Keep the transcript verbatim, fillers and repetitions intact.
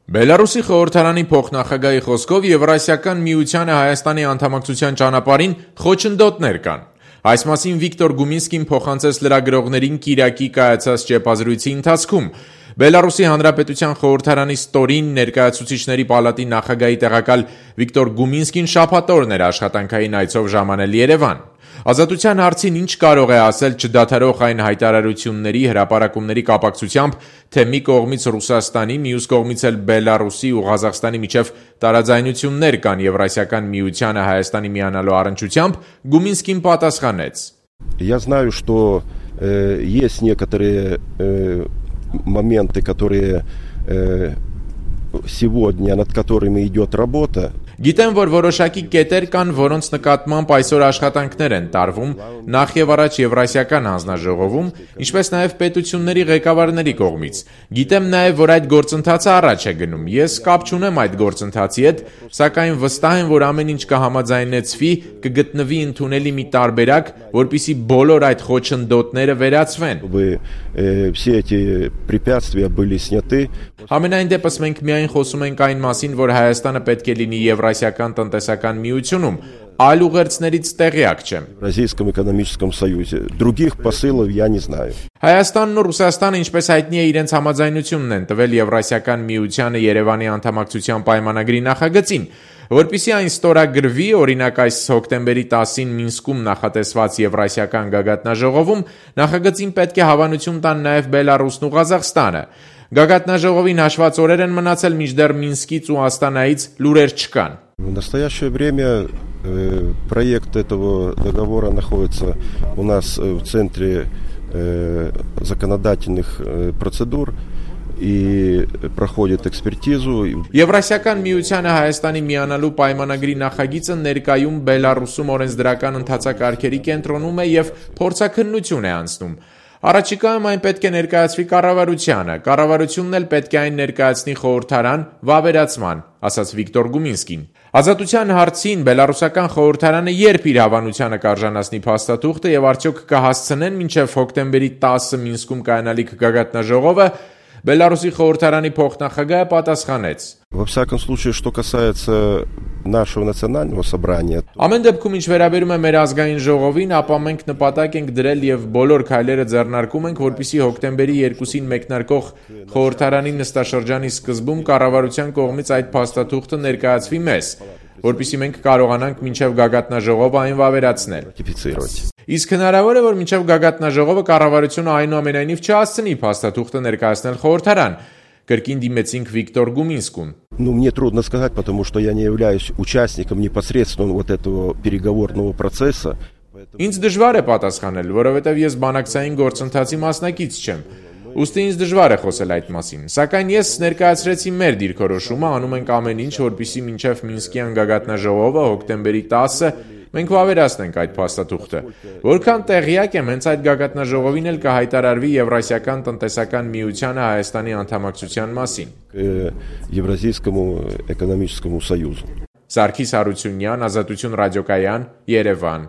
Բելարուսի խորհրդարանի փոխնախագահի խոսքով Եվրասիական միությանը Հայաստանի անդամակցության ճանապարհին խոչընդոտներ կան։ Այս մասին Վիկտոր Գումինսկին փոխանցեց լրագրողներին Կիրակի կայացած ճեպազրույցի ընթացքում։ Բելարուսի Հանրապետության խորհրդարանի ստորին ներկայացուցիչների պալատի նախագահի տեղակալ Վիկտոր Գումինսկին շաբաթօրն էր աշխատանքային այցով ժամանել Երևան։ Ազատության հարցին ինչ կարող է ասել չդադարող այն հայտարարությունների, հրապարակումների կապակցությամբ, թե մի կողմից Ռուսաստանի, մյուս կողմից էլ Բելարուսի ու Ղազախստանի միջև տարաձայնություններ կան Եվրասիական միությանը Հայաստանի միանալու առնչությամբ, Գումինսկին պատասխանեց. Я знаю, что э, есть некоторые э, моменты, которые э, сегодня, над которыми идет работа. Գիտեմ, որ որոշակի կետեր կան, որոնց նկատմամբ այսօր աշխատանքներ են տարվում նախ եւ առաջ Եվրասիական հանձնաժողովում, ինչպես նաեւ պետությունների ղեկավարների կողմից։ Գիտեմ նաեւ, որ այդ գործընթացը առաջ է գնում։ Ես կապ չունեմ այդ գործընթացի հետ, սակայն վստահ եմ, որ ամեն ինչ կհամաձայնեցվի, կգտնվի ընդունելի մի տարբերակ, որպիսի բոլոր այդ խոչընդոտները վերացվեն։ Все эти препятствия были сняты. Համենայն դեպս մենք միայն խոսում ենք այն մասին, որ Հայաստանը պետք է լինի Եվրասիական տնտեսական միությունում, այլ ուղերձներից տեղյակ չեմ։ Российском экономическом союзе. Других посылов я не знаю. Հայաստանն ու Ռուսաստանը, ինչպես հայտնի է, իրենց համաձայնությունն են տվել Եվրասիական միությանը Երևանի անդամակցության պայմանագրի նախագծին, որպիսի այն ստորագրվի, օրինակ այս հոկտեմբերի տասին Մինսկում նախատեսված Եվրասիական գագաթնաժողովում, նախագծին պետք է հավանություն տան նաև Բելարուսն ու Ղազախստանը։ Գագաթնաժողովին հաշված օրեր են մնացել, մինչդեռ Մինսկից ու Աստանայից լուրեր չկան։ В настоящее время э, проект этого договора находится у нас в центре э, законодательных э, процедур и проходит экспертизу. Եվրասիական միությանը Հայաստանի միանալու պայմանագրի նախագիծը ներկայում Բելարուսում օրենսդրական ընթացակարգերի կենտրոնում է եւ փորձաքննություն է անցնում։ Առաջիկայում այն պետք է ներկայացվի կառավարությանը, կառավարությունն էլ պետք է այն ներկայացնի խորհրդարան վավերացման, ասաց Վիկտոր Գումինսկին։ Ազատության հարցին բելարուսական խորհրդարանը երբ իր հավանությանը կարժանացնի փաստաթուղթը եւ արդյոք կհասցնեն մինչեւ հոկտեմբերի տասը Մինսկում կայանալիք գագաթնաժողովը, Բելարուսի խորհրդարանի փոխնախագահը պատասխանեց. Во всяком случае, что касается нашего национального собрания. Ամեն դեպքում ինչ վերաբերում է մեր ազգային ժողովին, ապա մենք նպատակ ենք դրել եւ բոլոր քայլերը ձեռնարկում ենք, որպեսզի հոկտեմբերի երկուսին մեկնարկող խորհրդարանի նստաշրջանի սկզբում կառավարության կողմից այդ փաստաթուղթը ներկայացվի մեզ, որպեսզի մենք կարողանանք մինչև գագաթնաժողովը այն վավերացնել։ Իսկ հնարավոր է, որ մինչև գագաթնաժողովը կառավարությունը այնուամենայնիվ չհասցնի փաստաթուղթը ներկայացնել խորհրդարան, կրկին դիմեցինք Վիկտոր Գումինսկուն։ Ну, мне трудно сказать, потому что я не являюсь участником непосредственно вот этого переговорного процесса. Ինձ դժվար է պատասխանել, որովհետև ես բանակցային գործընթացի մասնակից չեմ։ Ուստի ինձ դժվար է խոսել այդ մասին, սակայն ես ներկայացրեցի մեր դիրքորոշումը, անում ենք ամեն ինչ, որպեսզի մինչև Մինսկյան գագաթնաժողովը հոկտեմբերի տասը մենք վավերացնենք այդ փաստաթուղթը։ Որքան տեղյակ եմ, հենց այդ գագաթնաժողովին էլ կհայտարարվի Եվրասիական տնտեսական միությանը Հայաստանի անդամակցության մասին։ Եվրազիական էկոնոմիկական союзу. Սարգիս Հարությունյան, Ազատություն ռադիոկայան, Երևան։